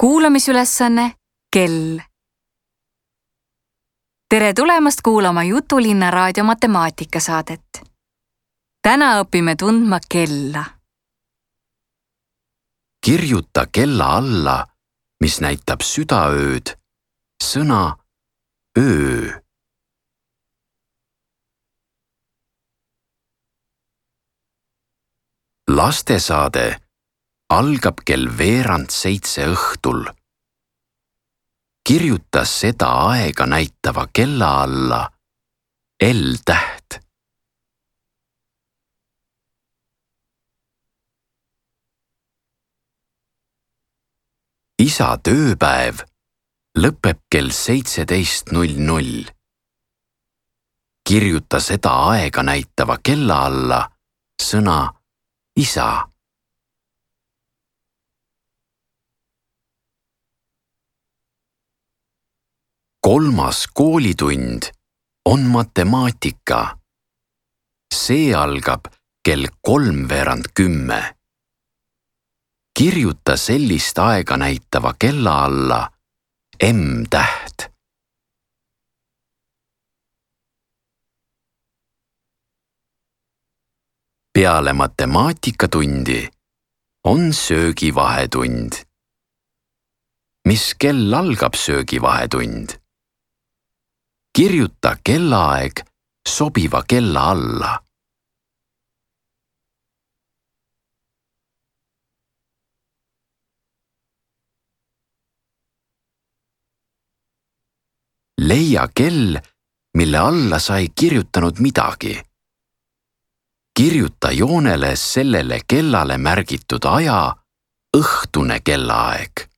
Kuulamisülesanne kell. Tere tulemast kuulama Jutulinna raadio matemaatikasaadet. Täna õpime tundma kella. Kirjuta kella alla, mis näitab südaööd, sõna öö. Lastesaade algab kell 6:15 õhtul. Kirjuta seda aega näitava kella alla L-täht. Isa tööpäev lõpeb kell 17:00. Kirjuta seda aega näitava kella alla sõna isa. Kolmas koolitund on matemaatika. See algab kell 9:45. Kirjuta sellist aega näitava kella alla M-täht. Peale matemaatikatundi on söögivahetund. Mis kell algab söögivahetund? Kirjuta kellaaeg sobiva kella alla. Leia kell, mille alla sa ei kirjutanud midagi. Kirjuta joonele sellele kellale märgitud aja õhtune kellaaeg.